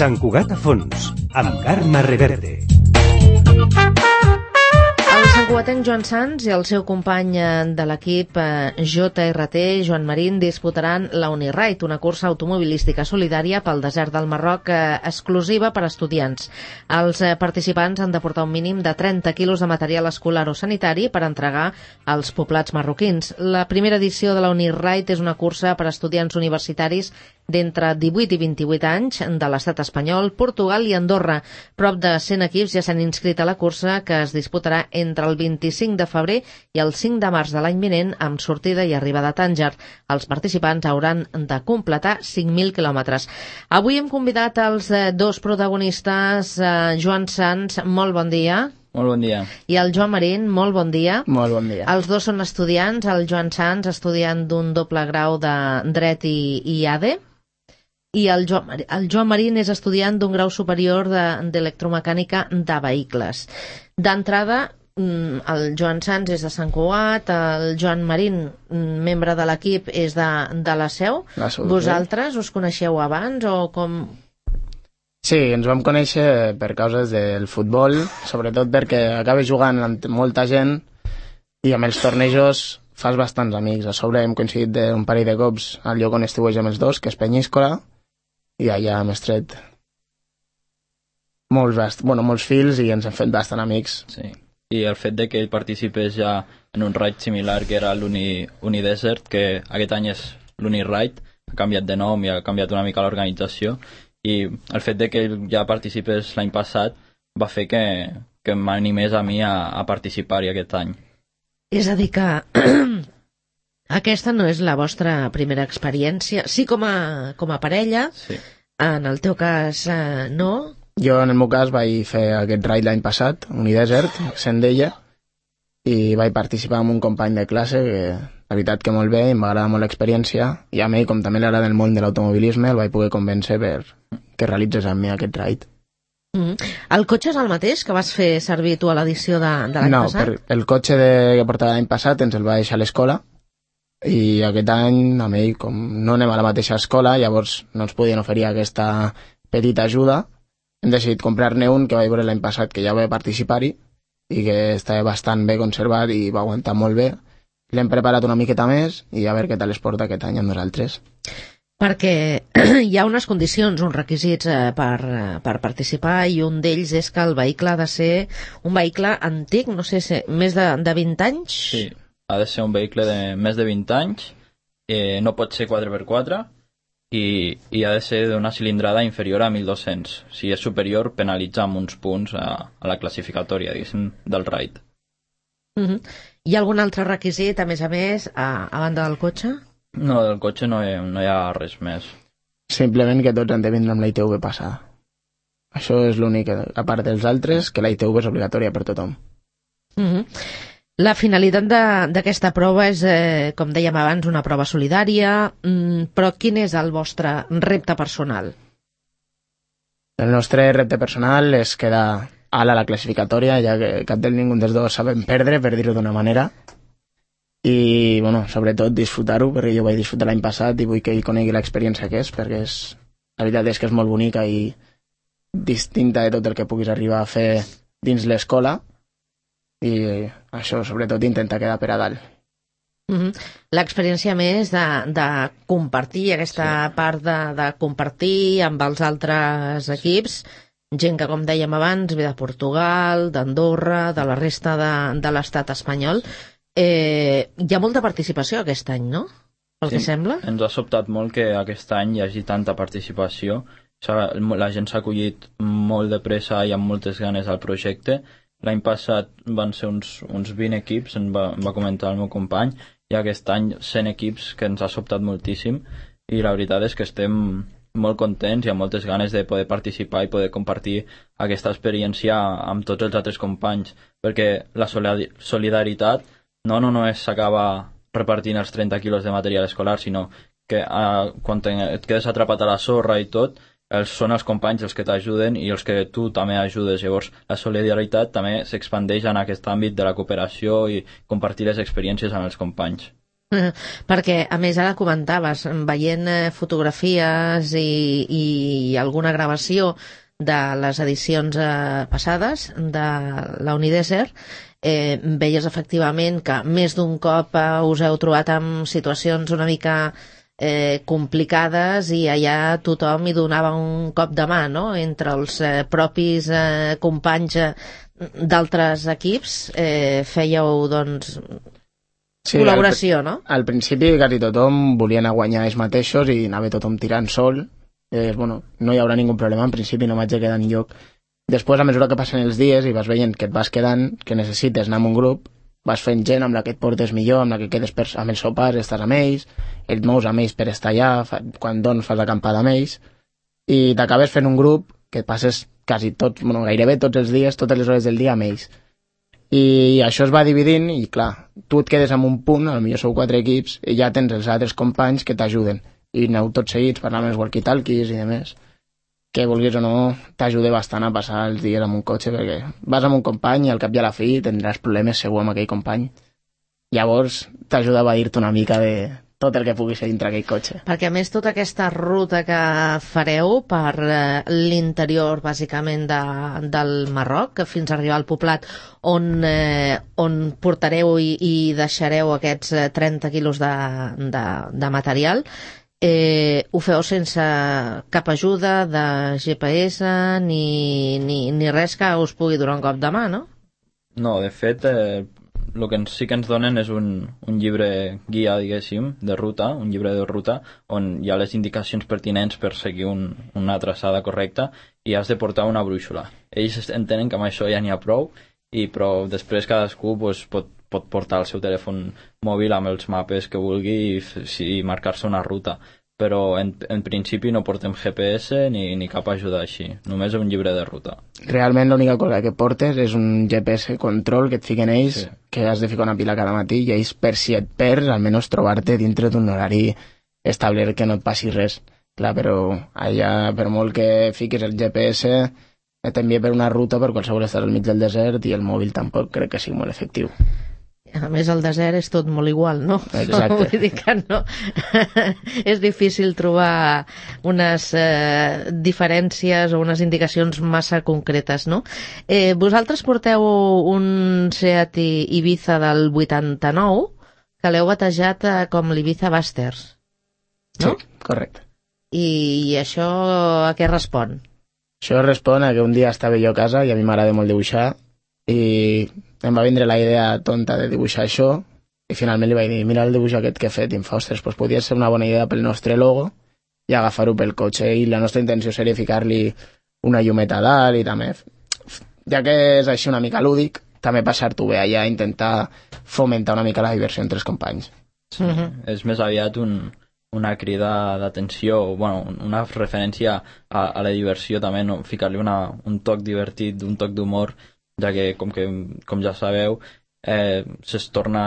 Sant Cugat a fons, amb Carme Reverte. El santcugatenc Joan Sans i el seu company de l'equip JRT, Joan Marín, disputaran la Uniride, una cursa automobilística solidària pel desert del Marroc exclusiva per a estudiants. Els participants han de portar un mínim de 30 quilos de material escolar o sanitari per entregar als poblats marroquins. La primera edició de la Uniride és una cursa per a estudiants universitaris d'entre 18 i 28 anys de l'estat espanyol, Portugal i Andorra. Prop de 100 equips ja s'han inscrit a la cursa, que es disputarà entre el 25 de febrer i el 5 de març de l'any vinent, amb sortida i arribada a Tànger. Els participants hauran de completar 5.000 quilòmetres. Avui hem convidat els dos protagonistes, Joan Sans, molt bon dia. Molt bon dia. I el Joan Marín, molt bon dia. Molt bon dia. Els dos són estudiants, el Joan Sans estudiant d'un doble grau de Dret i ADE, i el Joan Marín és estudiant d'un grau superior d'electromecànica de vehicles. D'entrada, el Joan Sans és de Sant Cugat, el Joan Marín, membre de l'equip, és de la Seu. Vosaltres us coneixeu abans o com? Sí, ens vam conèixer per causes del futbol, sobretot perquè acabes jugant amb molta gent i amb els tornejos fas bastants amics. A sobre hem coincidit un parell de cops al lloc on estiuegem els dos, que és Penyíscola, i allà hem estret molts fils i ens hem fet bastant amics. Sí. I el fet de que ell participés ja en un ride similar, que era l'Unidesert, que aquest any és l'Uniride, ha canviat de nom i ha canviat una mica l'organització, i el fet de que ell ja participés l'any passat va fer que m'animés a mi a participar-hi aquest any. És a dir que aquesta no és la vostra primera experiència, sí com a parella, sí. En el teu cas no? Jo en el meu cas vaig fer aquest ride l'any passat, Unidesert, sent d'ella, i vaig participar amb un company de classe que la veritat que molt bé, i m'agrada molt l'experiència, i a mi, com també l'agrada el món de l'automobilisme, el vaig poder convèncer per que realitzés amb mi aquest ride. El cotxe és el mateix que vas fer servir tu a l'edició de l'any passat? No, el cotxe que portava l'any passat ens el va deixar a l'escola, i aquest any amb ell, com no anem a la mateixa escola, llavors no ens podien oferir aquesta petita ajuda, hem decidit comprar-ne un que vaig veure l'any passat que ja va participar-hi i que estava bastant bé conservat i va aguantar molt bé. L'hem preparat una miqueta més i a veure què tal es porta aquest any amb nosaltres. Perquè hi ha unes condicions, uns requisits per participar, i un d'ells és que el vehicle ha de ser un vehicle antic, no sé si més de 20 anys? Sí, ha de ser un vehicle de més de 20 anys, no pot ser 4x4 i ha de ser d'una cilindrada inferior a 1.200. Si és superior, penalitza amb uns punts a la classificatòria, diguéssim, del ride. Hi ha algun altre requisit, a més, a banda del cotxe? No, del cotxe no hi ha res més. Simplement que tots han de vindre amb la ITV passada. Això és l'únic, a part dels altres, que la ITV és obligatòria per tothom. La finalitat d'aquesta prova és, com dèiem abans, una prova solidària, però quin és el vostre repte personal? El nostre repte personal és quedar alt a la classificatòria, ja que cap del ningú dels dos sabem perdre, per dir-ho d'una manera, i bueno, sobretot disfrutar-ho, perquè jo vaig disfrutar l'any passat i vull que ell conegui l'experiència que és, perquè la veritat és que és molt bonica i distinta de tot el que puguis arribar a fer dins l'escola, i això, sobretot, intenta quedar per a dalt. L'experiència més de compartir, aquesta part de compartir amb els altres equips, gent que, com dèiem abans, ve de Portugal, d'Andorra, de la resta de l'estat espanyol. Hi ha molta participació aquest any, no? Pel que sembla? Ens ha sobtat molt que aquest any hi hagi tanta participació. La gent s'ha acollit molt de pressa i amb moltes ganes al projecte. L'any passat van ser uns 20 equips, em va comentar el meu company, i aquest any 100 equips, que ens ha sobtat moltíssim, i la veritat és que estem molt contents i amb moltes ganes de poder participar i poder compartir aquesta experiència amb tots els altres companys, perquè la solidaritat no només s'acaba repartint els 30 quilos de material escolar, sinó que quan et quedes atrapat a la sorra i tot, són els companys els que t'ajuden i els que tu també ajudes. Llavors la solidaritat també s'expandeix en aquest àmbit de la cooperació i compartir les experiències amb els companys. Perquè, a més, ara comentaves, veient fotografies i alguna gravació de les edicions passades de la Unidesert, veies efectivament que més d'un cop us heu trobat amb situacions una mica complicades i allà tothom hi donava un cop de mà, no? Entre els propis companys d'altres equips fèieu, doncs, sí, col·laboració, no? Al principi quasi tothom volia anar a guanyar ells mateixos i anava tothom tirant sol. Bueno, no hi haurà ningú problema, en principi no m'haig de quedar enlloc. Després, a mesura que passen els dies i vas veient que et vas quedant, que necessites anar amb un grup, vas fent gent amb la que et portes millor, amb la que quedes amb els sopars, estàs amb ells, et mous amb ells per estar allà, quan fas l'acampada amb ells, i t'acabes fent un grup que et passes quasi tots, bueno, gairebé tots els dies, totes les hores del dia amb ells. I això es va dividint i, clar, tu et quedes en un punt, potser sou 4 equips, i ja tens els altres companys que t'ajuden. I aneu tots seguits parlant amb els walkie-talkies i demés. Que vulguis o no, t'ajuda bastant a passar els dies amb un cotxe, perquè vas amb un company i al cap i a la fi tindràs problemes segur amb aquell company. Llavors t'ajuda a evadir-te una mica de tot el que pugui ser dintre aquell cotxe. Perquè a més tota aquesta ruta que fareu per l'interior bàsicament del Marroc, fins a arribar al poblat on portareu i deixareu aquests 30 quilos de material, ho feu sense cap ajuda de GPS ni res que us pugui donar un cop de mà, no? No, de fet, el que sí que ens donen és un llibre guia, diguéssim, de ruta, un llibre de ruta, on hi ha les indicacions pertinents per seguir una traçada correcta i has de portar una brúixola. Ells entenen que amb això ja n'hi ha prou, però després cadascú pot portar el seu telèfon mòbil amb els mapes que vulgui i marcar-se una ruta. Però en principi no portem GPS ni cap ajuda així, només un llibre de ruta. Realment l'única cosa que portes és un GPS control que et fiquen ells, sí, que has de ficar una pila cada matí i ells, per si et perds, almenys trobar-te dintre d'un horari establert que no et passi res. Clar, però allà, per molt que fiquis el GPS, t'envia per una ruta per qualsevol estar al mig del desert i el mòbil tampoc crec que sigui molt efectiu. A més, el desert és tot molt igual, no? Exacte. Vull dir que no. És difícil trobar unes diferències o unes indicacions massa concretes, no? Vosaltres porteu un Seat Ibiza del 89 que l'heu batejat com l'Ibiza Busters, no? Sí, correcte. I això a què respon? Això respon a que un dia estava jo a casa i a mi m'agrada molt dibuixar i em va vindre la idea tonta de dibuixar això i finalment li vaig dir, mira el dibuix aquest que he fet i em fa, ostres, doncs podria ser una bona idea pel nostre logo i agafar-ho pel cotxe i la nostra intenció seria ficar-li una llumeta a dalt i també, ja que és així una mica lúdic, també passar-t'ho bé allà, intentar fomentar una mica la diversió entre els companys. Sí, és més aviat una crida d'atenció, bueno, una referència a la diversió també, no? Ficar-li un toc divertit, un toc d'humor, ja que, com ja sabeu, es torna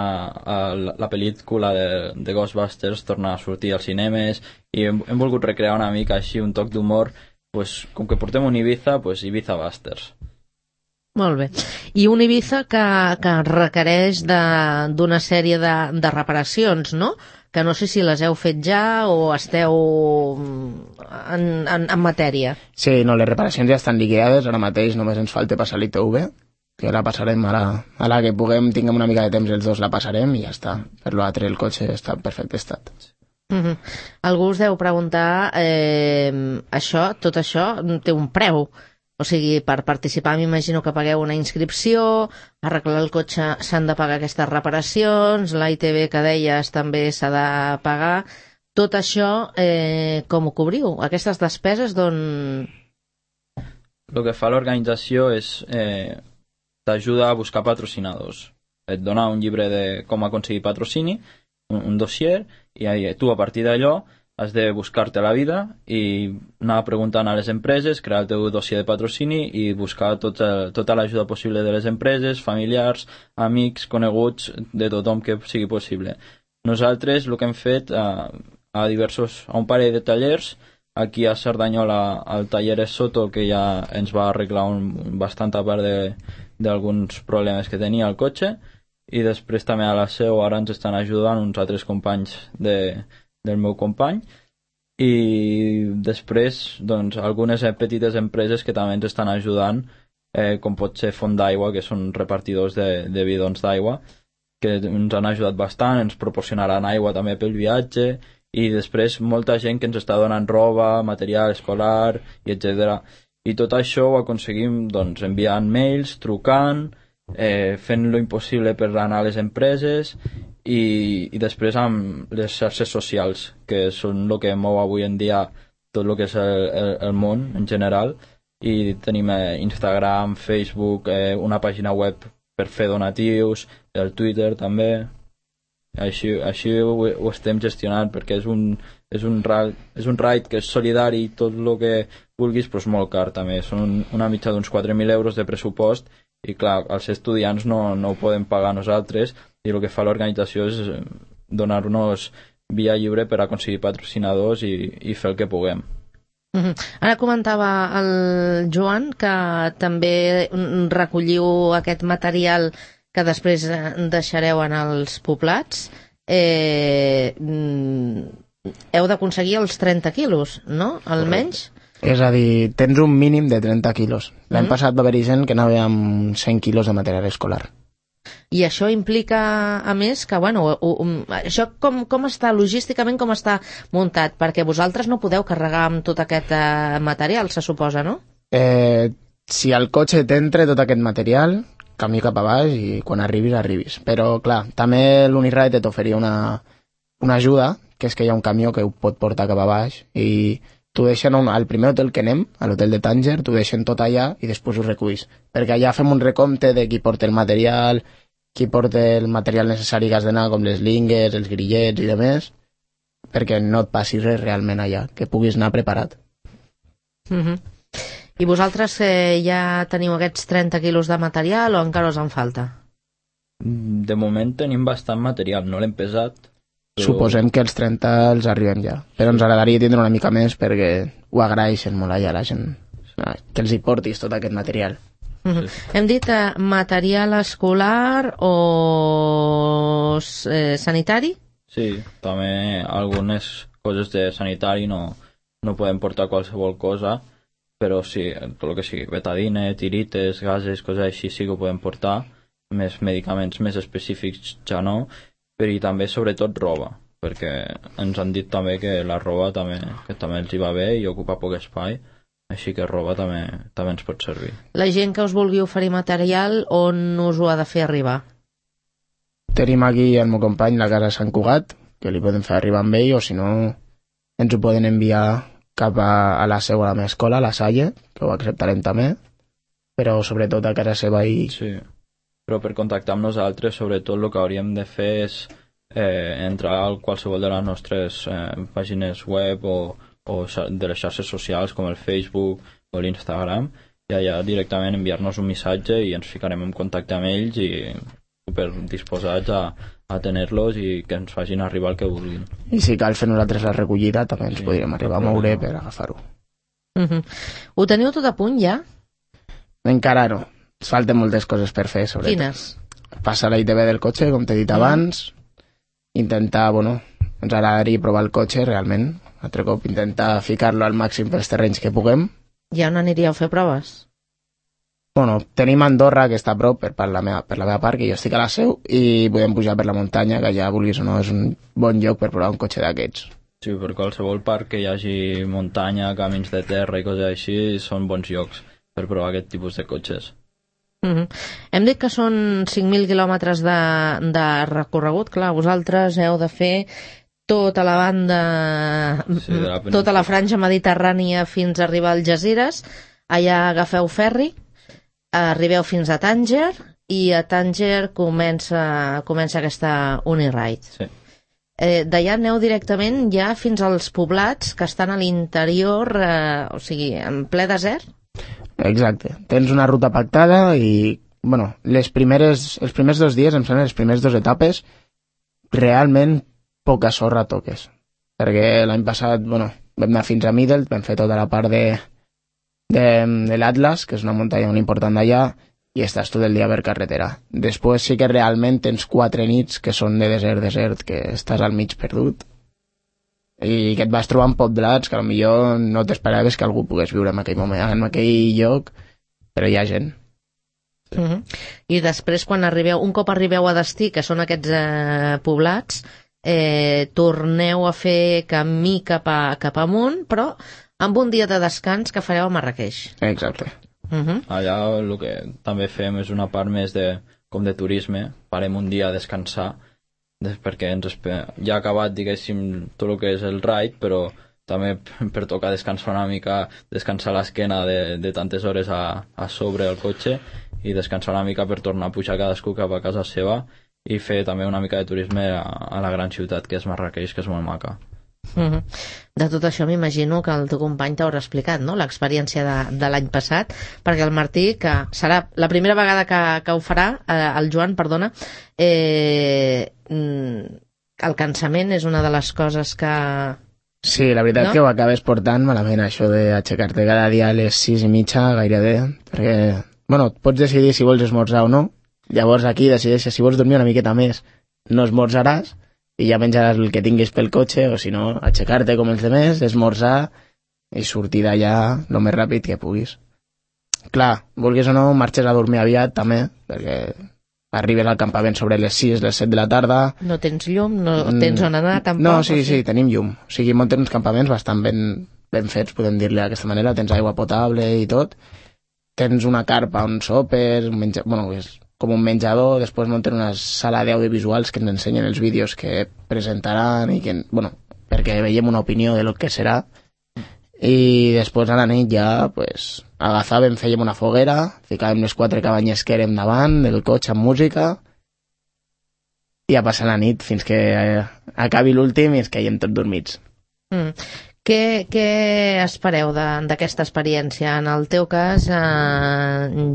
la pel·lícula de Ghostbusters torna a sortir als cinemes i hem volgut recrear una mica així un toc d'humor, pues, com que portem un Ibiza, pues Ibiza Busters. Molt bé. I un Ibiza que requereix d'una sèrie de reparacions, no? Que no sé si les heu fet ja o esteu en matèria. Sí, no, les reparacions ja estan liquidades, ara mateix només ens falta passar l'ITV, que la passarem ara que tinguem una mica de temps els dos la passarem i ja està. Per l'altre el cotxe està en perfecte estat. Algú us deu preguntar tot això té un preu. O sigui, per participar m'imagino que pagueu una inscripció, arreglar el cotxe s'han de pagar aquestes reparacions, la ITV que deies també s'ha de pagar. Tot això, com ho cobriu? Aquestes despeses d'on... El que fa l'organització és t'ajuda a buscar patrocinadors. Et dona un llibre de com aconseguir patrocini, un dossier, i tu a partir d'allò has de buscar-te la vida i anar preguntant a les empreses, crear el teu dossier de patrocini i buscar tota l'ajuda possible de les empreses, familiars, amics, coneguts, de tothom que sigui possible. Nosaltres el que hem fet a un parell de tallers, aquí a Cerdanyola al taller Soto, que ja ens va arreglar bastant a part d'alguns problemes que tenia el cotxe, i després també a la seu ara ens estan ajudant uns altres companys del meu company, i després doncs, algunes petites empreses que també ens estan ajudant, com pot ser Font d'Aigua, que són repartidors de bidons d'aigua, que ens han ajudat bastant, ens proporcionaran aigua també pel viatge, i després molta gent que ens està donant roba, material escolar, i etc. I tot això ho aconseguim doncs, enviant mails, trucant, fent lo impossible per anar a les empreses, i després amb les xarxes socials, que són el que mou avui en dia tot el que és el món en general, i tenim Instagram, Facebook, una pàgina web per fer donatius, el Twitter també. Així ho estem gestionant, perquè és un raid que és solidari, tot el que vulguis, però és molt car també. Són una mitja d'uns 4.000 euros de pressupost, i clar, els estudiants no ho podem pagar nosaltres, i el que fa l'organització és donar-nos via lliure per aconseguir patrocinadors i fer el que puguem. Ara comentava el Joan que també recolliu aquest material que després deixareu en els poblats. Heu d'aconseguir els 30 quilos, no? Almenys? És a dir, tens un mínim de 30 quilos. L'any passat va haver-hi gent que anava amb 100 quilos de material escolar. I això implica, a més, que, bueno, això com està logísticament, com està muntat? Perquè vosaltres no podeu carregar amb tot aquest material, se suposa, no? Si al cotxe t'entra tot aquest material, camí cap a baix i quan arribis. Però, clar, també l'Uniride t'oferia una ajuda, que és que hi ha un camió que ho pot portar cap a baix, i t'ho deixen al primer hotel que anem, a l'hotel de Tànger, t'ho deixen tot allà i després ho reculls. Perquè allà fem un recompte de qui porta el material, qui porta el material necessari que has d'anar, com les lingues, els grillets i demés, perquè no et passi res realment allà, que puguis anar preparat. I vosaltres ja teniu aquests 30 quilos de material o encara us en falta? De moment tenim bastant material, no l'hem pesat. Però... Suposem que els 30 els arribem ja, però ens agradaria tindre una mica més perquè ho agraeixen molt allà la gent, que els hi portis tot aquest material. Hem dit material escolar o sanitari? Sí, també algunes coses de sanitari no podem portar qualsevol cosa, però sí, tot el que sigui betadine, tirites, gases, coses així sí que ho podem portar. Més medicaments més específics ja no, però i també sobretot roba, perquè ens han dit també que la roba també els hi va bé i ocupa poc espai, així que roba també ens pot servir. La gent que us vulgui oferir material, on us ho ha de fer arribar? Tenim aquí el meu company, la casa Sant Cugat, que li podem fer arribar amb ell, o si no ens ho poden enviar cap a la seva, a la meva escola, a la Salle, que ho acceptarem també, però sobretot a casa seva i... Sí, però per contactar amb nosaltres, sobretot el que hauríem de fer és entrar a qualsevol de les nostres pàgines web o de les xarxes socials com el Facebook o l'Instagram, i allà directament enviar-nos un missatge i ens ficarem en contacte amb ells i super disposats a tenir-los i que ens facin arribar el que vulguin. I si cal fer nosaltres la recollida també ens podríem arribar a moure per agafar-ho. Ho teniu tot a punt ja? Encara no, ens falten moltes coses per fer, sobretot. Quines? Passar la ITV del cotxe, com t'he dit abans, intentar, ens agradaria provar el cotxe realment, altre cop intentar ficar-lo al màxim pels terrenys que puguem. Ja on aniríeu a fer proves? Tenim Andorra, que està a prop per la meva part, que jo estic a la seu, i podem pujar per la muntanya, que ja vulguis o no és un bon lloc per provar un cotxe d'aquests. Sí, per qualsevol parc que hi hagi muntanya, camins de terra i coses així, són bons llocs per provar aquest tipus de cotxes. Hem dit que són 5.000 quilòmetres de recorregut. Clar, vosaltres heu de fer tota la banda, tota la franja mediterrània fins a arribar a Algesires. Allà agafeu ferri, arribeu fins a Tànger i a Tànger comença aquesta Uniride. Sí. D'allà aneu directament ja fins als poblats que estan a l'interior, o sigui, en ple desert? Exacte. Tens una ruta pactada i, els primers 2 dies, em sembla, les primers 2 etapes, realment poca sorra toques. Perquè l'any passat, vam anar fins a Middle, vam fer tota la part de l'Atlas, que és una muntanya molt important d'allà, i estàs tot el dia per carretera. Després sí que realment tens 4 nits que són de desert, que estàs al mig perdut i que et vas trobar en poblats que potser no t'esperaves que algú pogués viure en aquell moment, en aquell lloc, però hi ha gent. I després, un cop arribeu a destí, que són aquests poblats, torneu a fer camí cap amunt, però amb un dia de descans que fareu a Marràqueix. Exacte. Allà el que també fem és una part més com de turisme, parem un dia a descansar, perquè ja ha acabat, diguéssim, tot el que és el ride, però també per tocar descansar una mica, descansar l'esquena de tantes hores a sobre el cotxe i descansar una mica per tornar a pujar cadascú cap a casa seva i fer també una mica de turisme a la gran ciutat que és Marràqueix, que és molt maca. De tot això m'imagino que el teu company t'haurà explicat, no?, l'experiència de l'any passat, perquè el Martí, que serà la primera vegada que ho farà, el Joan, perdona, el cansament és una de les coses que... Sí, la veritat que ho acabes portant malament, això d'aixecar-te cada dia a les 6:30 gairebé, perquè, pots decidir si vols esmorzar o no, llavors aquí decideixes si vols dormir una miqueta més, no esmorzaràs, i ja menjaràs el que tinguis pel cotxe, o si no, aixecar-te com els demés, esmorzar i sortir d'allà el més ràpid que puguis. Clar, vulguis o no, marxes a dormir aviat també, perquè arribes al campament sobre les 6, les 7 de la tarda... No tens llum, no tens on anar tampoc? No, sí, tenim llum. O sigui, muntem uns campaments bastant ben fets, podem dir-li d'aquesta manera, tens aigua potable i tot, tens una carpa on sopes, és com un menjador, després munten una sala d'audiovisuals que ens ensenyen els vídeos que presentaran i que, perquè veiem una opinió de lo que serà, i després a la nit ja agafàvem, fèiem una foguera, ficàvem les 4 cabanyes que érem davant del cotxe amb música i a passar la nit fins que acabi l'últim i ens caiem tots dormits. Què espereu d'aquesta experiència? En el teu cas,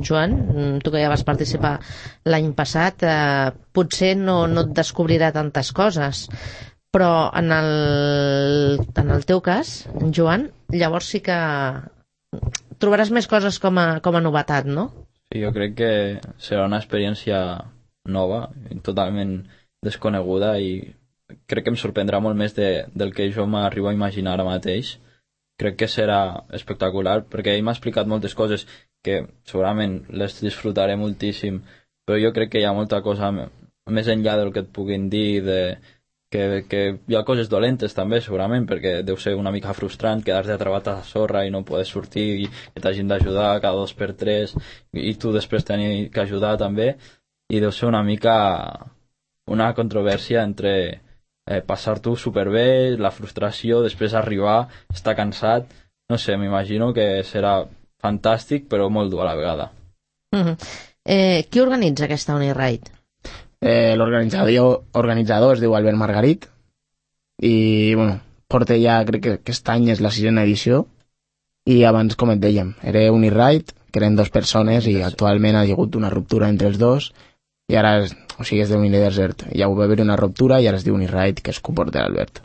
Joan, tu que ja vas participar l'any passat, potser no et descobrirà tantes coses, però en el teu cas, Joan, llavors sí que trobaràs més coses com a novetat, no? Sí, jo crec que serà una experiència nova, totalment desconeguda, i crec que em sorprendrà molt més del que jo m'arribo a imaginar ara mateix. Crec que serà espectacular, perquè ell m'ha explicat moltes coses que segurament les disfrutaré moltíssim, però jo crec que hi ha molta cosa més enllà del que et puguin dir, que hi ha coses dolentes també segurament, perquè deu ser una mica frustrant quedar-te atrapat a la sorra i no poder sortir i que t'hagin d'ajudar cada 2 per 3 i tu després tenir que ajudar també, i deu ser una mica una controvèrsia entre passar-t'ho superbé, la frustració, després arribar, estar cansat, no sé, m'imagino que serà fantàstic però molt dur a la vegada. Qui organitza aquesta Uniride? L'organitzador es diu Albert Margarit i porta ja, crec que aquest any és la 6a edició, i abans, com et dèiem, era Uniride, que eren 2 persones i actualment ha hagut una ruptura entre els dos i ara és de Unidesert, ja va haver una ruptura i ara es diu Uniride, que és que ho porta l'Albert.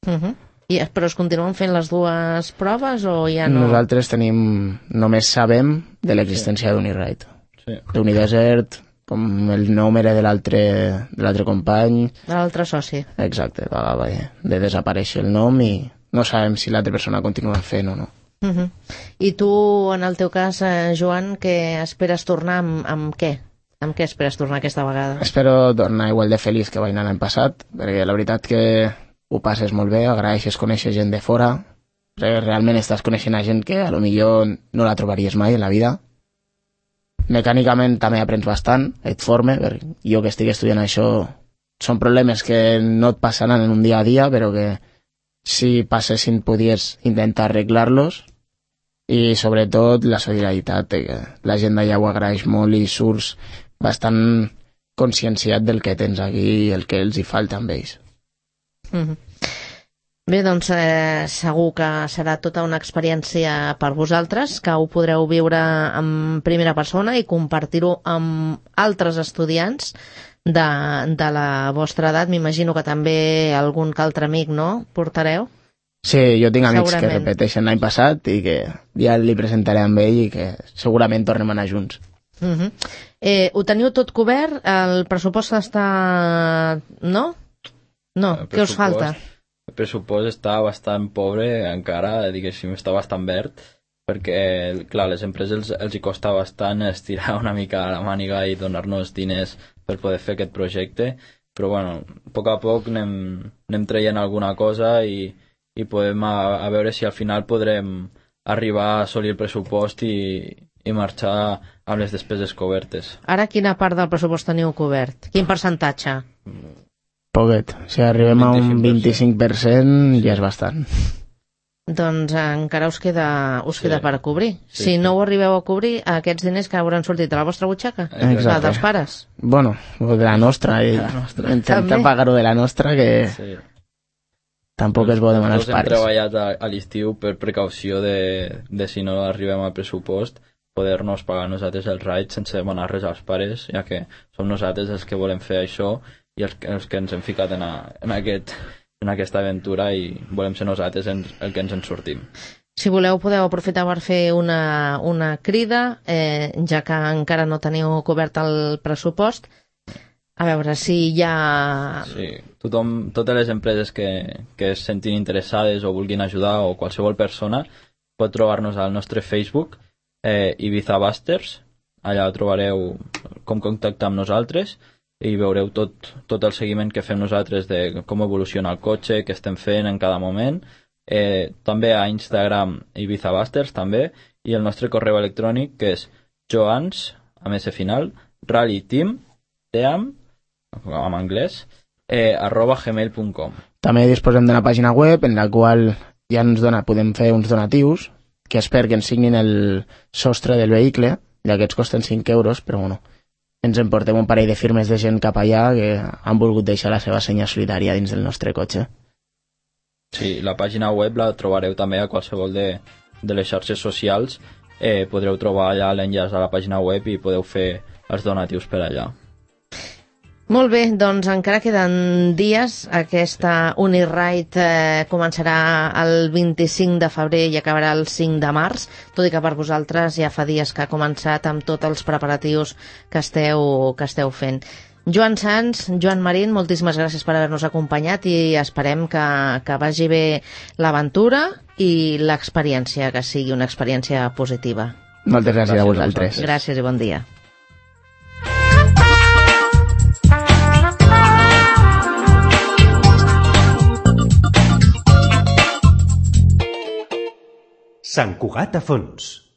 Però es continuen fent les 2 proves o ja no? Nosaltres només sabem de l'existència d'Uniride. D'Unidesert, com el nom era de l'altre company, de l'altre soci. Exacte, va de desaparèixer el nom i no sabem si l'altra persona continua fent o no. I tu, en el teu cas, Joan, que esperes tornar amb què? Amb què esperes tornar aquesta vegada? Espero tornar igual de feliç que vaig anar l'any passat, perquè la veritat que ho passes molt bé, agraeixes conèixer gent de fora, realment estàs coneixent a gent que a lo millor no la trobaries mai en la vida. Mecànicament també aprens bastant, et forma, perquè jo que estic estudiant això són problemes que no et passaran en un dia a dia, però que si passessin podies intentar arreglar-los, i sobretot la solidaritat, que la gent d'allà ho agraeix molt i surts bastant conscienciat del que tens aquí i el que els hi falta amb ells. Bé, doncs segur que serà tota una experiència per vosaltres, que ho podreu viure en primera persona i compartir-ho amb altres estudiants de la vostra edat. M'imagino que també algun que altre amic, no?, portareu? Sí, jo tinc amics que repeteixen l'any passat i que ja li presentaré amb ell i que segurament tornem a anar junts. Ho teniu tot cobert? El pressupost està... No? No, què us falta? El pressupost està bastant pobre encara, diguéssim, està bastant verd, perquè, clar, les empreses els hi costa bastant estirar una mica la màniga i donar-nos diners per poder fer aquest projecte, però bueno, a poc anem traient alguna cosa i podem a veure si al final podrem arribar a assolir el pressupost i marxar amb les despeses cobertes. Ara quina part del pressupost teniu cobert? Quin percentatge? Poquet. Si arribem a un 25% ja és bastant. Doncs encara us queda per cobrir. Si no ho arribeu a cobrir, aquests diners que hauran sortit de la vostra butxaca? Exacte. La dels pares? Bueno, de la nostra. Intentar pagar-ho de la nostra, que tampoc és bo demanar als pares. Hem treballat a l'estiu per precaució de si no arribem al pressupost, poder-nos pagar nosaltres els rides sense demanar res als pares, ja que som nosaltres els que volem fer això i els que ens hem ficat en aquesta aventura i volem ser nosaltres el que ens en sortim. Si voleu, podeu aprofitar per fer una crida, ja que encara no teniu cobert el pressupost, a veure si hi ha... Sí, totes les empreses que es sentin interessades o vulguin ajudar, o qualsevol persona, pot trobar-nos al nostre Facebook, Ibiza Busters. Allà trobareu com contactar amb nosaltres i veureu tot el seguiment que fem nosaltres de com evoluciona el cotxe, què estem fent en cada moment. També a Instagram Ibiza Busters també, i el nostre correu electrònic, que és joans, amb S final, rallyteam, en anglès, @gmail.com. També disposem d'una pàgina web en la qual ja podem fer uns donatius que espero que ens signin el sostre del vehicle, ja que ens costen 5 euros, però bueno, ens emportem un parell de firmes de gent cap allà que han volgut deixar la seva senya solidària dins del nostre cotxe. Sí, la pàgina web la trobareu també a qualsevol de les xarxes socials. Podreu trobar allà l'enllaç a la pàgina web i podeu fer els donatius per allà. Molt bé, doncs encara queden dies. Aquesta Uniride començarà el 25 de febrer i acabarà el 5 de març, tot i que per vosaltres ja fa dies que ha començat amb tots els preparatius que esteu fent. Joan Sans, Joan Marín, moltíssimes gràcies per haver-nos acompanyat i esperem que vagi bé l'aventura i l'experiència, que sigui una experiència positiva. Moltes gràcies a vosaltres. Gràcies i bon dia. Sant Cugat a fons.